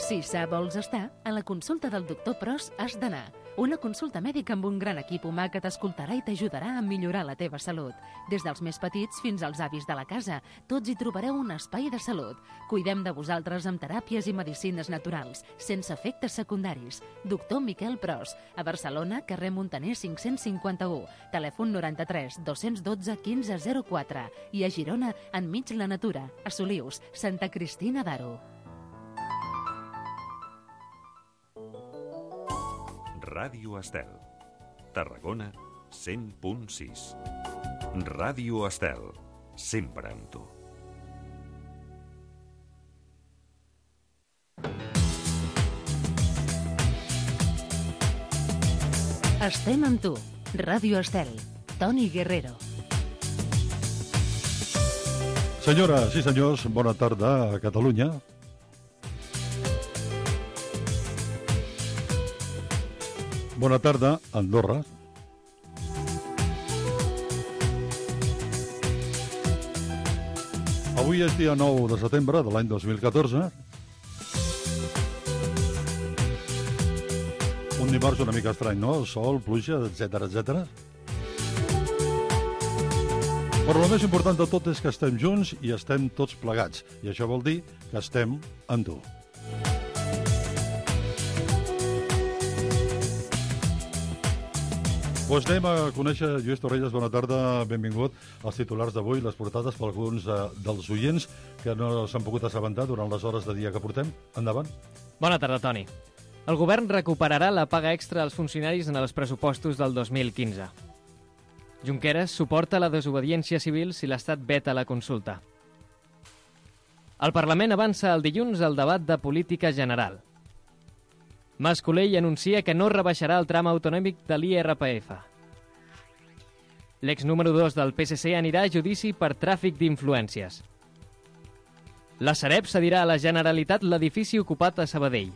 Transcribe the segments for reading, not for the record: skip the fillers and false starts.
Si sa vols estar, a la consulta del doctor Pros has d'anar. Una consulta mèdica amb un gran equip humà que t'escoltarà i t'ajudarà a millorar la teva salut. Des dels més petits fins als avis de la casa, tots hi trobareu un espai de salut. Cuidem de vosaltres amb teràpies i medicines naturals, sense efectes secundaris. Doctor Miquel Pros, a Barcelona, carrer Montaner 551, telèfon 93 212 1504 i a Girona, enmig la natura, a Solius, Santa Cristina d'Aro. Ràdio Estel. Tarragona 100.6. Ràdio Estel. Sempre amb tu. Estem amb tu. Ràdio Estel. Toni Guerrero. Senyores i senyors, bona tarda a Catalunya. Bona tarda, Andorra. Avui és dia 9 de setembre de l'any 2014. Un dimarts una mica estrany, no? Sol, pluja, etc etc. Però el més important de tot és que estem junts i estem tots plegats. I això vol dir que estem amb tu. Doncs anem a conèixer, Lluís Torrelles, bona tarda, benvingut als titulars d'avui, les portades per alguns dels oients que no s'han pogut assabentar durant les hores de dia que portem. Endavant. Bona tarda, Toni. El govern recuperarà la paga extra als funcionaris en els pressupostos del 2015. Junqueras suporta la desobediència civil si l'Estat veta la consulta. El Parlament avança el dilluns al debat de política general. Mas Colell anuncia que no rebaixarà el tram autonòmic de l'IRPF. L'ex número 2 del PSC anirà a judici per tràfic d'influències. La Sareb cedirà a la Generalitat l'edifici ocupat a Sabadell.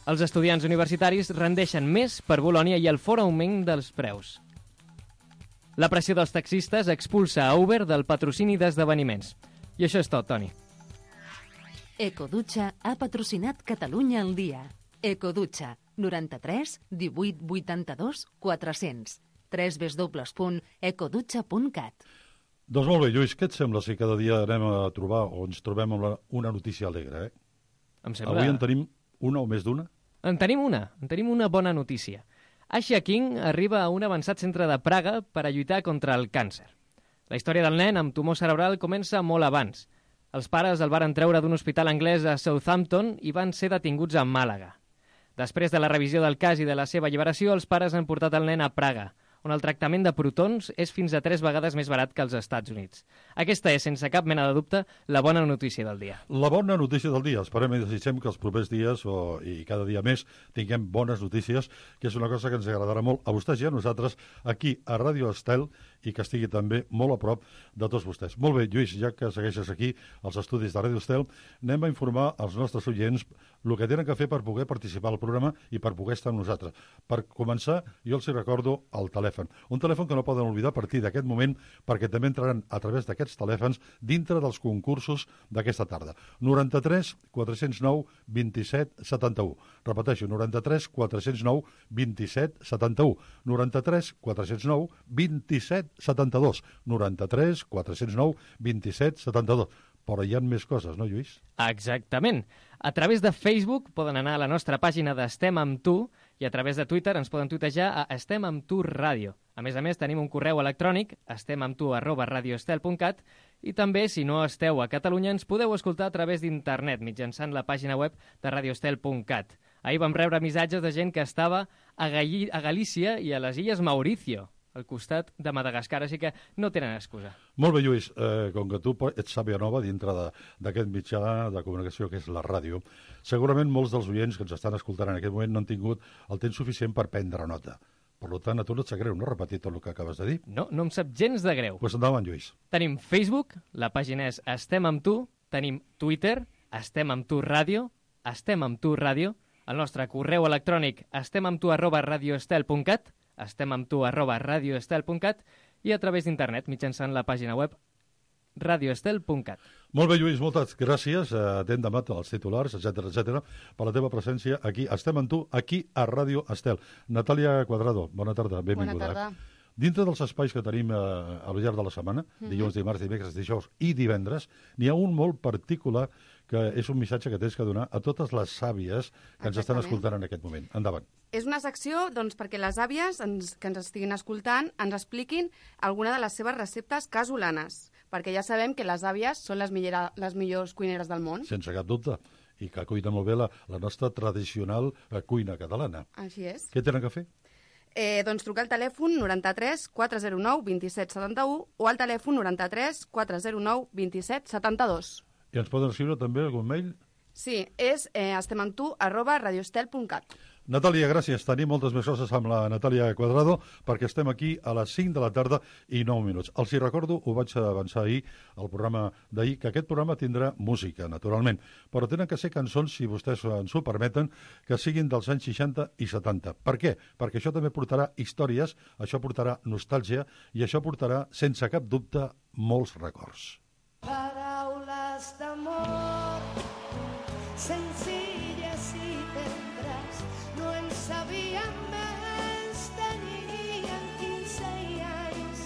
Els estudiants universitaris rendeixen més per Bolonia i el fort augment dels preus. La pressió dels taxistes expulsa a Uber del patrocini d'esdeveniments. I això és tot, Toni. Ecodutxa ha patrocinat Catalunya al dia. Ecodutxa, 93 18 82 400. www.ecodutxa.cat. Doncs molt bé, Lluís, què et sembla si cada dia anem a trobar o ens trobem amb una notícia alegre, Em sembla... Avui en tenim una o més d'una? En tenim una bona notícia. Asha King arriba a un avançat centre de Praga per a lluitar contra el càncer. La història del nen amb tumor cerebral comença molt abans. Els pares el varen treure d'un hospital anglès a Southampton i van ser detinguts a Màlaga. Després de la revisió del cas i de la seva alliberació, els pares han portat el nen a Praga, on el tractament de protons és fins a 3 vegades més barat que als Estats Units. Aquesta és, sense cap mena de dubte, la bona notícia del dia. La bona notícia del dia. Esperem i desitgem que els propers dies i cada dia més tinguem bones notícies, que és una cosa que ens agradarà molt a vostès i a nosaltres aquí a Ràdio Estel i que estigui també molt a prop de tots vostès. Molt bé, Lluís, ja que segueixes aquí als estudis de Ràdio Estel, anem a informar als nostres oients el que tenen que fer per poder participar al programa i per poder estar amb nosaltres. Per començar, jo els recordo el telèfon. Un telèfon que no poden oblidar a partir d'aquest moment perquè també entraran a través d'aquests telèfons dintre dels concursos d'aquesta tarda. 93 409 27 71. Repeteixo, 93 409 27 71. 93 409 27 72. 93 409 27 72. Però hi ha més coses, no, Lluís? Exactament. A través de Facebook poden anar a la nostra pàgina d'Estem amb tu i a través de Twitter ens poden tuitejar a Estem amb tu ràdio. A més, tenim un correu electrònic, estemamtu@radioestel.cat, i també, si no esteu a Catalunya, ens podeu escoltar a través d'internet mitjançant la pàgina web de radioestel.cat. Ahir vam rebre missatges de gent que estava a Galícia i a les Illes Mauricio, al costat de Madagascar, així que no tenen excusa. Molt bé, Lluís, com que tu ets sàvia nova dintre d'aquest mitjà de comunicació que és la ràdio, segurament molts dels oients que ens estan escoltant en aquest moment no han tingut el temps suficient per prendre nota. Per tant, a tu no et sap greu, no? Repetir tot el que acabes de dir. No em sap gens de greu. Doncs endavant, Lluís. Tenim Facebook, la pàgina és Estem amb tu, tenim Twitter, Estem amb tu ràdio, Estem amb tu ràdio, el nostre correu electrònic estemamtu@radioestel.cat, estemamtu@radioestel.cat i a través d'internet mitjançant la pàgina web www.radioestel.cat. Molt bé, Lluís, moltes gràcies. Atent demà els titulars, etc per la teva presència aquí. Estem amb tu, aquí a Ràdio Estel. Natàlia Cuadrado, bona tarda, benvinguda. Bona tarda. Dintre dels espais que tenim al llarg de la setmana, dilluns, dimarts, dimecres, dijous i divendres, n'hi ha un molt particular que és un missatge que tens que donar a totes les àvies que ens estan escoltant en aquest moment. Endavant. És una secció perquè les àvies que ens estiguin escoltant ens expliquin alguna de les seves receptes casolanes, perquè ja sabem que les àvies són les millors cuineres del món. Sense cap dubte. I que cuina molt bé la nostra tradicional cuina catalana. Així és. Què tenen que fer? Trucar al telèfon 93 409 27 71 o al telèfon 93 409 27 72. I ens poden escriure també algun mail? Sí, és estemamtu@radioestel.cat. Natàlia, gràcies. Tenim moltes més coses amb la Natàlia Cuadrado perquè estem aquí a les 5 de la tarda i 9 minuts. Els hi recordo, ho vaig avançar ahir, al programa d'ahir, que aquest programa tindrà música, naturalment, però tenen que ser cançons, si vostès ens ho permeten, que siguin dels anys 60 i 70. Per què? Perquè això també portarà històries, això portarà nostàlgia i això portarà, sense cap dubte, molts records. Paraules d'amor senzilles i tendres no en sabíem més, tenien 15 anys.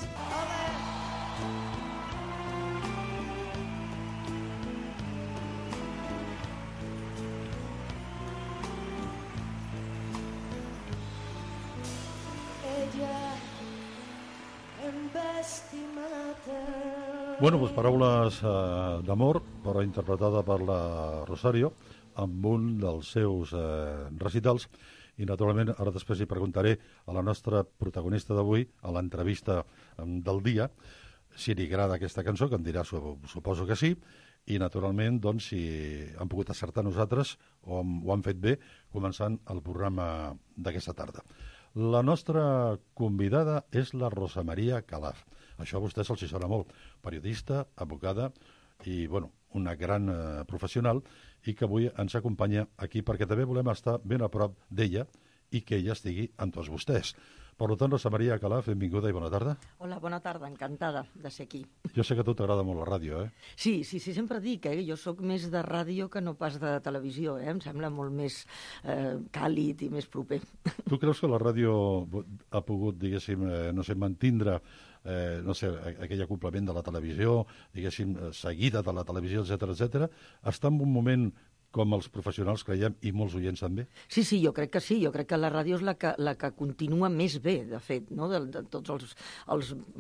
Ella em va estimar. Bueno, doncs paraules d'amor, però interpretada per la Rosario, amb un dels seus recitals. I, naturalment, ara després hi preguntaré a la nostra protagonista d'avui, a l'entrevista del dia, si li agrada aquesta cançó, que em dirà, suposo que sí, i, naturalment, doncs, si han pogut acertar nosaltres o ho han fet bé, començant el programa d'aquesta tarda. La nostra convidada és la Rosa Maria Calaf. Això a vostès els hi sona molt. Periodista, advocada i, bueno, una gran professional i que avui ens acompanya aquí perquè també volem estar ben a prop d'ella i que ella estigui amb tots vostès. Per tant, Rosa Maria Calaf, benvinguda i bona tarda. Hola, bona tarda, encantada de ser aquí. Jo sé que a tu t'agrada molt la ràdio, eh? Sí, sempre dic, jo sóc més de ràdio que no pas de televisió, em sembla molt més càlid i més proper. Tu creus que la ràdio ha pogut, diguéssim, mantindre aquell acoplament de la televisió, diguéssim, seguida de la televisió, etc. Està en un moment com els professionals creiem, i molts oients també? Sí, jo crec que sí. Jo crec que la ràdio és la que continua més bé, de fet, no? de tots els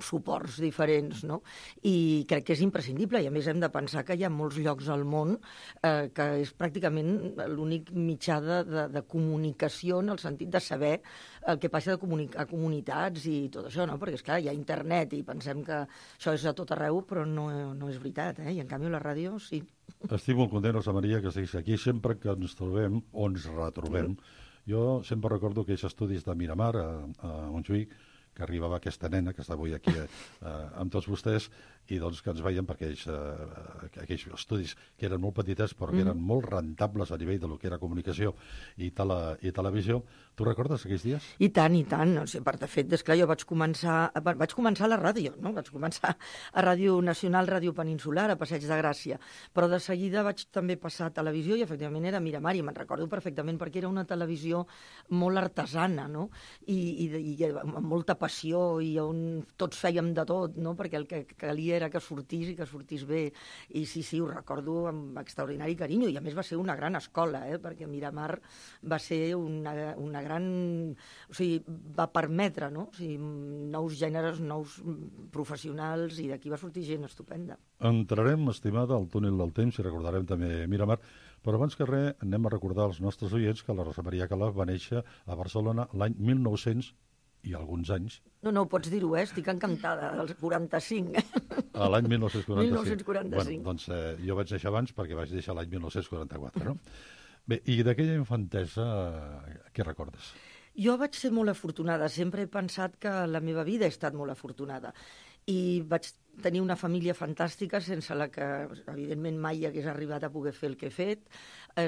suports diferents, no? I crec que és imprescindible, i a més hem de pensar que hi ha molts llocs al món que és pràcticament l'únic mitjà de comunicació en el sentit de saber el que passa a comunitats i tot això, no? Perquè, esclar, hi ha internet i pensem que això és a tot arreu, però no és veritat, I en canvi la ràdio sí. Estic molt content, Rosa Maria, que estiguis aquí. Sempre que ens trobem o ens retrobem, jo sempre recordo aquells estudis de Miramar, a Montjuïc, que arribava aquesta nena, que està avui aquí amb tots vostès, i doncs que ens veiem perquè aquells estudis que eren molt petitets però que eren molt rentables a nivell de lo que era comunicació i televisió. Tu recordes aquells dies? I tant. O sigui, de fet, esclar, jo vaig començar a la ràdio, no? Vaig començar a Ràdio Nacional, Ràdio Peninsular, a Passeig de Gràcia, però de seguida vaig també passar a televisió i efectivament era Miramar, i me'n recordo perfectament perquè era una televisió molt artesana, no? I amb molta passió i on tots fèiem de tot, no? Perquè el que calia era que sortís i que sortís bé. I sí, ho recordo amb extraordinari carinyo. I a més va ser una gran escola, perquè Miramar va ser una gran... O sigui, va permetre, no? O sigui, nous gèneres, nous professionals, i d'aquí va sortir gent estupenda. Entrarem, estimada, al túnel del temps i recordarem també Miramar, però abans que res anem a recordar als nostres oients que la Rosa Maria Calaf va néixer a Barcelona l'any 1900 i alguns anys. No, pots dir-ho, estic encantada, als 45. A l'any 1945. 1945. Bueno, doncs jo vaig néixer abans perquè vaig néixer l'any 1944, no? Bé, i d'aquella infantesa, què recordes? Jo vaig ser molt afortunada, sempre he pensat que la meva vida ha estat molt afortunada. I vaig tenir una família fantàstica sense la que, evidentment, mai hagués arribat a poder fer el que he fet,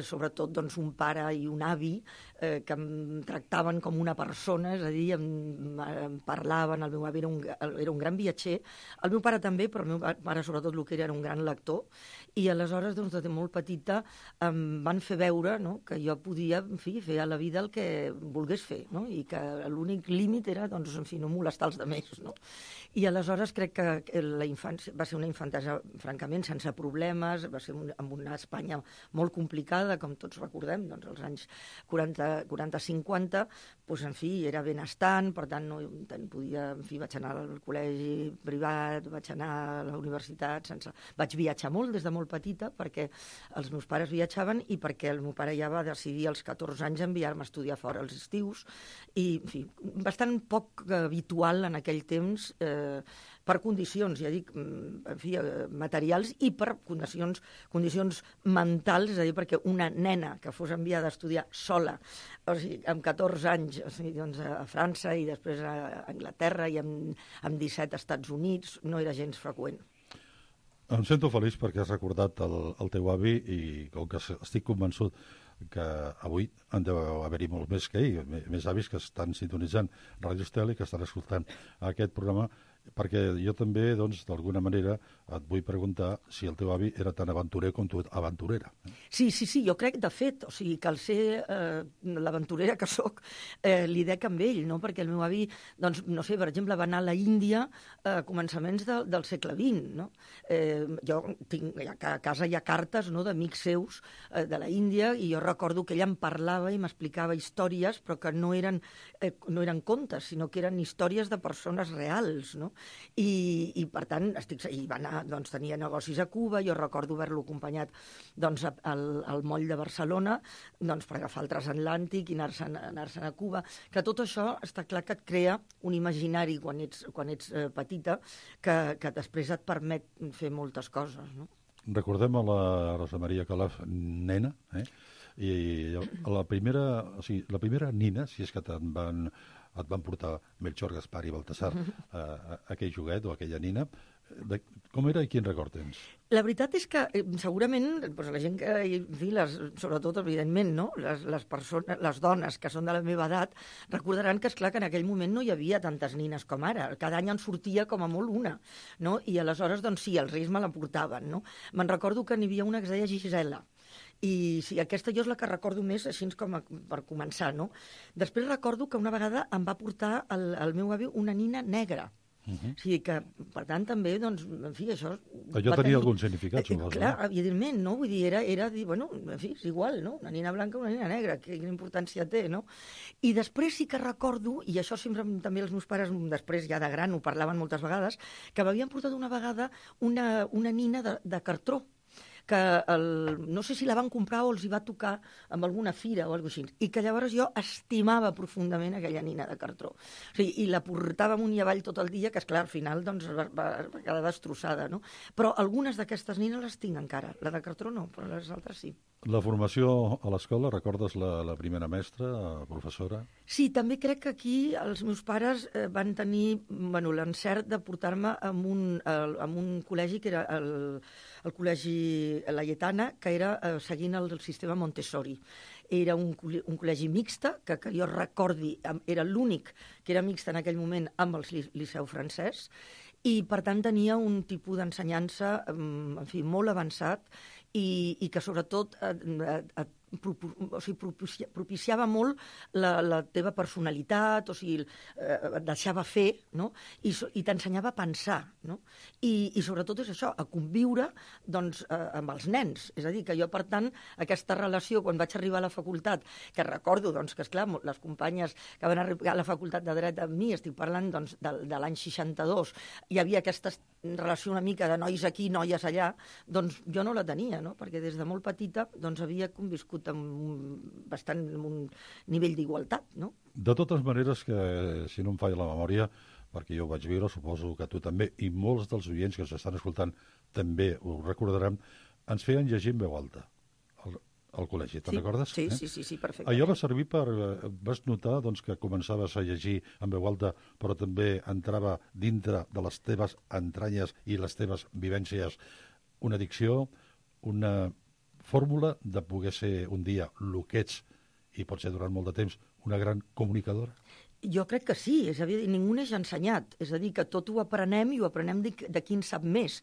sobretot doncs, un pare i un avi que em tractaven com una persona, és a dir, em parlaven, el meu avi era un gran viatger, el meu pare també, però el meu pare sobretot el que era un gran lector, i aleshores, doncs, des de molt petita em van fer veure, no?, que jo podia, en fi, fer a la vida el que volgués fer, no?, i que l'únic límit era, doncs, en fi, no molestar els altres, no? I aleshores crec que la infància va ser una infantesa, francament, sense problemes, va ser en una Espanya molt complicada, com tots recordem, doncs, als anys 40-50, doncs, en fi, era benestant, per tant, no podia, en fi, vaig anar al col·legi privat, vaig anar a la universitat, vaig viatjar molt des de molt petita, perquè els meus pares viatjaven i perquè el meu pare ja va decidir als 14 anys enviar-me a estudiar fora als estius, i, en fi, bastant poc habitual en aquell temps, per condicions, ja dic, en fi, materials i per condicions mentals, és a dir, perquè una nena que fos enviada a estudiar sola, o sigui, amb 14 anys, o sigui, doncs, a França i després a Anglaterra i amb 17 als Estats Units, no era gens freqüent. Em sento feliç perquè has recordat el teu avi i com que estic convençut que avui en deu haver-hi molt més que ahir, més avis que estan sintonitzant Ràdio Estel i que estan escoltant aquest programa, perquè jo també, doncs, d'alguna manera et vull preguntar si el teu avi era tan aventurer com tu aventurera. Sí, jo crec, de fet, o sigui, que al ser l'aventurera que sóc, li dec amb ell, no?, perquè el meu avi, doncs, no sé, per exemple, va anar a la Índia a començaments del segle XX, no? Jo tinc, a casa hi ha cartes, no?, d'amics seus de la Índia, i jo recordo que ella em parlava i m'explicava històries, però que no eren contes, sinó que eren històries de persones reals, no? I per tant, i va anar, doncs, tenia negocis a Cuba, jo recordo haver-lo acompanyat, doncs, al moll de Barcelona, doncs, per agafar el transatlàntic i anar-se'n a Cuba, que tot això està clar que et crea un imaginari quan ets petita que després et permet fer moltes coses, no? Recordem a la Rosa Maria Calaf, nena, i la primera nina, si és que et van portar Melchor, Gaspar i Baltasar aquell joguet o aquella nina, com era i quin record tens? La veritat és que segurament doncs, la gent que, sobretot, evidentment, no? Les dones que són de la meva edat recordaran que, esclar, que en aquell moment no hi havia tantes nines com ara. Cada any en sortia com a molt una, no? I aleshores, doncs sí, els reis me la portaven, no? Me'n recordo que n'hi havia una que es deia Gisela, i sí, aquesta jo és la que recordo més, així com per començar, no? Després recordo que una vegada em va portar el meu avi una nina negra. O sigui que, per tant, també, doncs, en fi, això... Allò tenia algun significat, suposo. Clar, evidentment, no? Vull dir, era dir, bueno, en fi, és igual, no? Una nina blanca, una nina negra, quina importància té, no? I després sí que recordo, i això sempre també els meus pares, després ja de gran, ho parlaven moltes vegades, que m'havien portat una vegada una nina de cartró, que no sé si la van comprar o els hi va tocar amb alguna fira o alguna cosa així, i que llavors jo estimava profundament aquella nina de cartró. O sigui, i la portava amunt i avall tot el dia, que, esclar, al final doncs, va quedar destrossada, no? Però algunes d'aquestes nines les tinc encara. La de cartró no, però les altres sí. La formació a l'escola, recordes la primera mestra, professora? Sí, també crec que aquí els meus pares van tenir l'encert de portar-me a un col·legi que era el col·legi Laietana, que era seguint el sistema Montessori. Era un col·legi mixta, que jo recordi, era l'únic que era mixta en aquell moment amb el Liceu francès, i per tant tenia un tipus d'ensenyança, en fi, molt avançat, i que sobretot propiciava molt la teva personalitat, o sigui, et deixava fer, no? I t'ensenyava a pensar, no? I sobretot és això, a conviure, doncs, amb els nens. És a dir, que jo, per tant, aquesta relació, quan vaig arribar a la facultat, que recordo, doncs, que, esclar, les companyes que van arribar a la facultat de Dret amb mi, estic parlant, doncs, de l'any 62, hi havia aquesta relació una mica de nois aquí, noies allà, doncs jo no la tenia, no? Perquè des de molt petita doncs, havia conviscut amb un nivell d'igualtat, no? De totes maneres, que si no em falla la memòria, perquè jo ho vaig viure, suposo que tu també, i molts dels oients que s'estan escoltant també ho recordaran, ens feien llegir en veu alta al col·legi. col·legi, te'n recordes? Sí, sí, perfectament. Allò va servir per... Vas notar doncs, que començaves a llegir en veu alta, però també entrava dintre de les teves entranyes i les teves vivències una dicció, una fórmula de poder ser un dia el que ets, i pot ser durant molt de temps, una gran comunicadora? Jo crec que sí, és a dir, ningú n'és ensenyat, és a dir, que tot ho aprenem i ho aprenem de qui en sap més.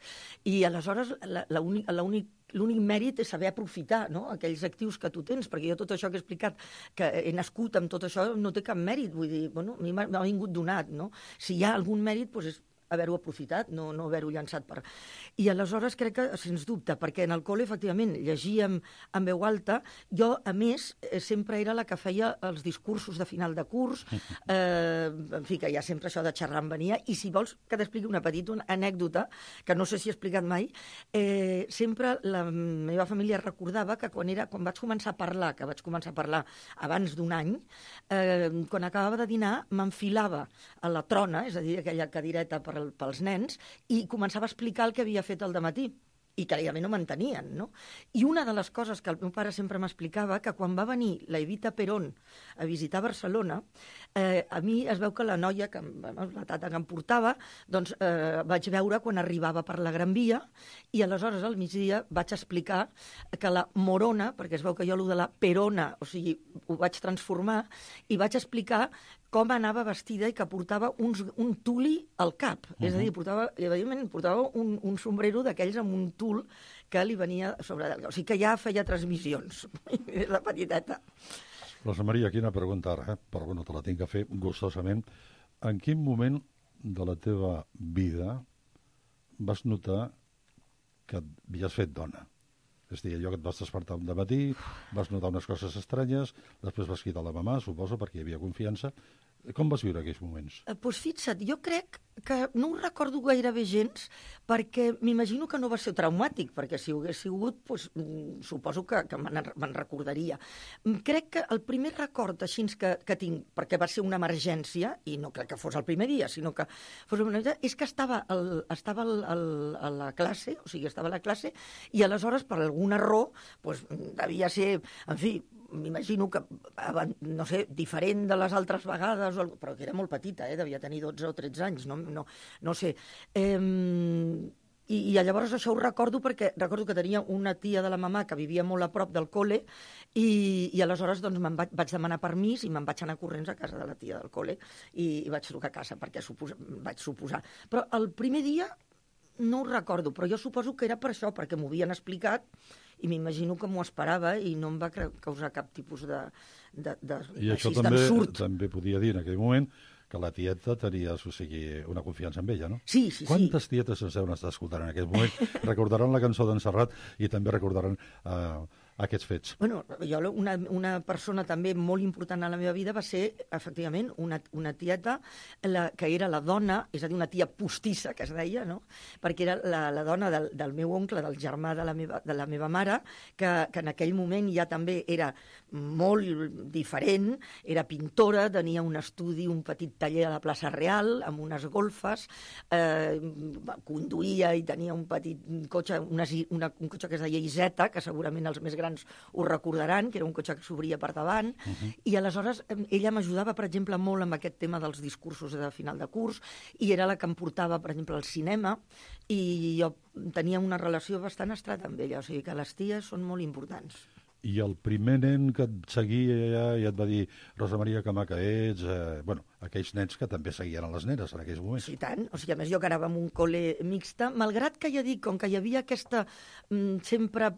I aleshores l'únic mèrit és saber aprofitar, no?, aquells actius que tu tens, perquè jo tot això que he explicat, que he nascut amb tot això, no té cap mèrit, vull dir, bueno, a mi m'ha vingut donat, no? Si hi ha algun mèrit, doncs és haver-ho aprofitat, no haver-ho llançat per... I aleshores crec que, sens dubte, perquè en el col·le, efectivament, llegíem en veu alta, jo, a més, sempre era la que feia els discursos de final de curs, en fi, que ja sempre això de xerrar em venia, i si vols que t'expliqui una petita anècdota, que no sé si he explicat mai, sempre la meva família recordava que quan vaig començar a parlar, que vaig començar a parlar abans d'un any, quan acabava de dinar, m'enfilava a la trona, és a dir, aquella cadireta pels nens, i començava a explicar el que havia fet al dematí i que a mi no m'entenien, no? I una de les coses que el meu pare sempre m'explicava, que quan va venir la Evita Perón a visitar Barcelona, a mi es veu que la noia, la tata que em portava, doncs vaig veure quan arribava per la Gran Via, i aleshores al migdia vaig explicar que la Morona, perquè es veu que jo allò de la Perona, o sigui, ho vaig transformar, i vaig explicar com anava vestida i que portava un tuli al cap. És a dir, portava un sombrero d'aquells amb un tul que li venia sobre... O sigui que ja feia transmissions, la petiteta. Rosa Maria, quina pregunta ara, però bueno, te la tinc que fer gustosament. En quin moment de la teva vida vas notar que havies fet dona? És a dir, allò que et vas despertar un dematí, vas notar unes coses estranyes, després vas cridar la mamà, suposo, perquè hi havia confiança. Com vas viure aquells moments? Doncs fixa't, jo crec que no ho recordo gairebé gens, perquè m'imagino que no va ser traumàtic, perquè si ho hagués sigut, doncs, suposo que me'n recordaria. Crec que el primer record així que tinc, perquè va ser una emergència, i no crec que fos el primer dia, sinó que fos una emergència, és que estava a la classe, o sigui, estava a la classe, i aleshores, per algun error, doncs, devia ser, en fi, m'imagino que, no sé, diferent de les altres vegades, però que era molt petita, devia tenir 12 o 13 anys, no sé. I llavors això ho recordo perquè recordo que tenia una tia de la mamà que vivia molt a prop del col·le i aleshores doncs, vaig demanar permís i me'n vaig anar corrents a casa de la tia del col·le i vaig trucar a casa perquè vaig suposar. Però el primer dia no ho recordo, però jo suposo que era per això, perquè m'ho havien explicat i m'imagino que m'ho esperava i no em va causar cap tipus I això també podia dir en aquell moment que la tieta tenies, o sigui, una confiança en ella, no? Sí. Quantes tietes ens deuen estar escoltant en aquest moment? Recordaran la cançó d'en Serrat i també recordaran aquests fets. Bueno, jo una persona també molt important a la meva vida va ser, efectivament, una tieta que era la dona, és a dir, una tia postissa, que es deia, no? Perquè era la dona del meu oncle, del germà de la meva mare, que en aquell moment ja també era molt diferent, era pintora, tenia un estudi, un petit taller a la plaça Real, amb unes golfes, conduïa i tenia un petit cotxe, un cotxe que es deia Iseta, que segurament els més grans ho recordaran, que era un cotxe que s'obria per davant, i aleshores ella m'ajudava, per exemple, molt amb aquest tema dels discursos de final de curs, i era la que em portava, per exemple, al cinema, i jo tenia una relació bastant estreta amb ella, o sigui que les ties són molt importants. I el primer nen que et seguia i et va dir Rosa Maria, que maca ets... aquells nens que també seguien a les nenes en aquells moments. Sí, tant. O sigui, a més, jo que anava en un col·le mixta, malgrat que ja dic, com que hi havia aquesta sempre,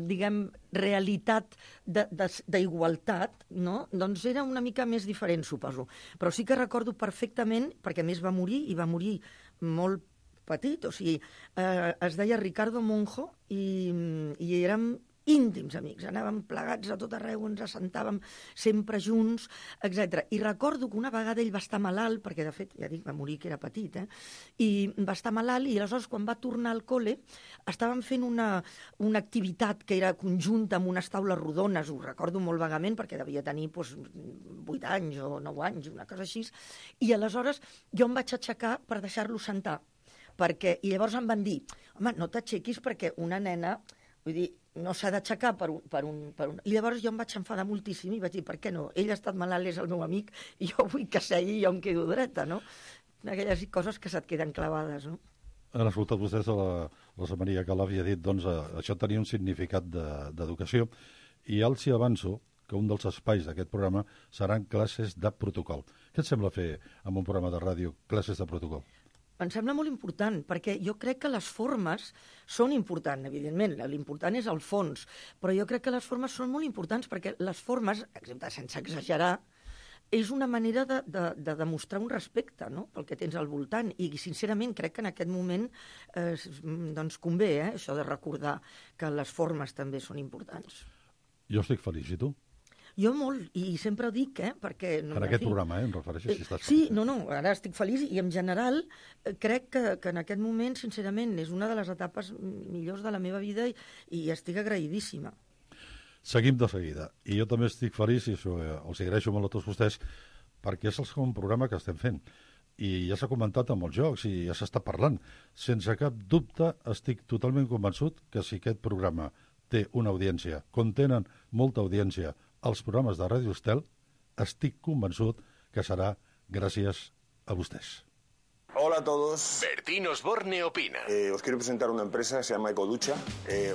diguem, realitat d'igualtat, no? Doncs era una mica més diferent, suposo. Però sí que recordo perfectament, perquè a més va morir, i va morir molt petit, o sigui, es deia Ricardo Monjo, i érem íntims amics, anàvem plegats a tot arreu, ens assentàvem sempre junts, etc. I recordo que una vegada ell va estar malalt, perquè de fet, ja dic, va morir que era petit, i va estar malalt, i aleshores quan va tornar al col·le estàvem fent una activitat que era conjunta amb unes taules rodones, ho recordo molt vagament perquè devia tenir 8 anys o 9 anys, una cosa així, i aleshores jo em vaig aixecar per deixar-lo sentar, i llavors em van dir, home, no t'aixequis perquè una nena Vull dir, no s'ha d'aixecar per un... I llavors jo em vaig enfadar moltíssim i vaig dir, per què no? Ell ha estat malalt, és el meu amic, i jo vull que segui i jo em quedo dreta, no? Aquelles coses que se't queden clavades, no? Han escoltat vostès a la Rosa Maria Calaf i ha dit, doncs, això tenia un significat d'educació, i ja els hi avanço que un dels espais d'aquest programa seran classes de protocol. Què et sembla fer amb un programa de ràdio classes de protocol? Em sembla molt important, perquè jo crec que les formes són importants, evidentment. L'important és el fons, però jo crec que les formes són molt importants, perquè les formes, sense exagerar, és una manera de demostrar un respecte, no?, pel que tens al voltant. I, sincerament, crec que en aquest moment doncs convé, això de recordar que les formes també són importants. Jo estic feliç, i tu? Jo molt, i sempre ho dic, perquè... En aquest programa, em refereixo, si estàs sí, feliç. no, ara estic feliç, i en general crec que en aquest moment, sincerament, és una de les etapes millors de la meva vida i estic agraïdíssima. Seguim de seguida. I jo també estic feliç, i això els agraeixo molt a tots vostès, perquè és el segon programa que estem fent. I ja s'ha comentat amb els jocs i ja s'està parlant. Sense cap dubte, estic totalment convençut que si aquest programa té una audiència, com tenen molta audiència els programes de Ràdio Estel, estic convençut que serà gràcies a vostès. Hola a todos. Bertín Osborne opina. Os quiero presentar una empresa que se llama Ecoducha.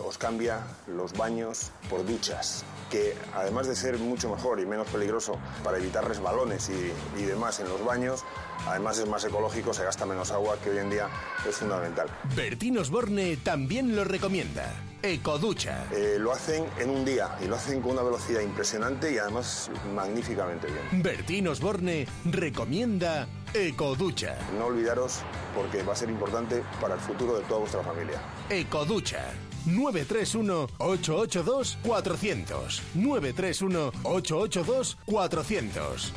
Os cambia los baños por duchas, que además de ser mucho mejor y menos peligroso para evitar resbalones y demás en los baños, además es más ecológico, se gasta menos agua, que hoy en día es fundamental. Bertín Osborne también lo recomienda. Ecoducha. Lo hacen en un día y lo hacen con una velocidad impresionante y además magníficamente bien. Bertín Osborne recomienda Ecoducha. No olvidaros, porque va a ser importante para el futuro de toda vuestra familia. Ecoducha. 931-882-400. 931-882-400.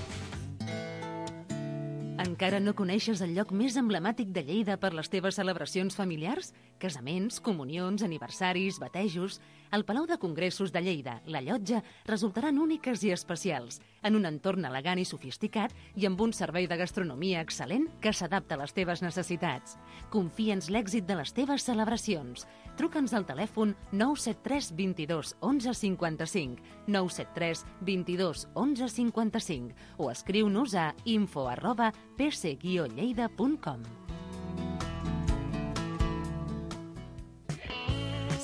Encara no coneixes el lloc més emblemàtic de Lleida per les teves celebracions familiars? Casaments, comunions, aniversaris, batejos... El Palau de Congressos de Lleida, la Llotja, resultaran úniques i especials, en un entorn elegant i sofisticat i amb un servei de gastronomia excel·lent que s'adapta a les teves necessitats. Confia'ns l'èxit de les teves celebracions. Truca'ns al telèfon 973 22 11 55, 973 22 11 55 o escriu-nos a info@pc-lleida.com.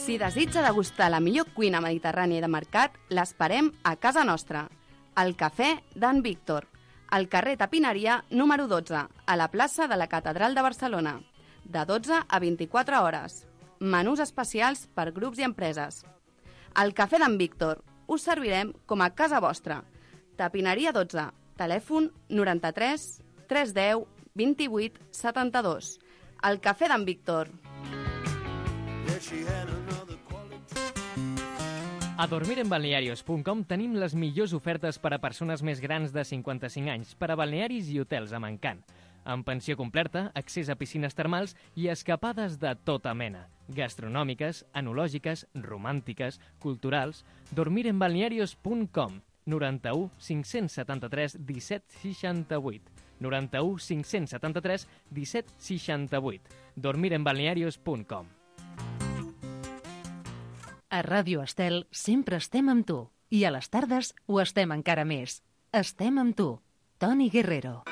Si desitja degustar la millor cuina mediterrània de mercat, l'esperem a casa nostra. El Cafè d'en Víctor, al carrer Tapineria número 12, a la plaça de la Catedral de Barcelona, de 12 a 24 hores. Menús especials per grups i empreses. Al Cafè d'en Víctor us servirem com a casa vostra. Tapineria 12, telèfon 93 310 28 72. El Cafè d'en Víctor. A dormirenbalnearios.com tenim les millors ofertes per a persones més grans de 55 anys, per a balnearis i hotels amb encant. Amb pensió completa, accés a piscines termals i escapades de tota mena. Gastronòmiques, enològiques, romàntiques, culturals. Dormirenbalnearios.com 91 573 17 68. 91 573 17 68. Dormirenbalnearios.com. A Ràdio Estel sempre estem amb tu. I a les tardes ho estem encara més. Estem amb tu. Toni Guerrero.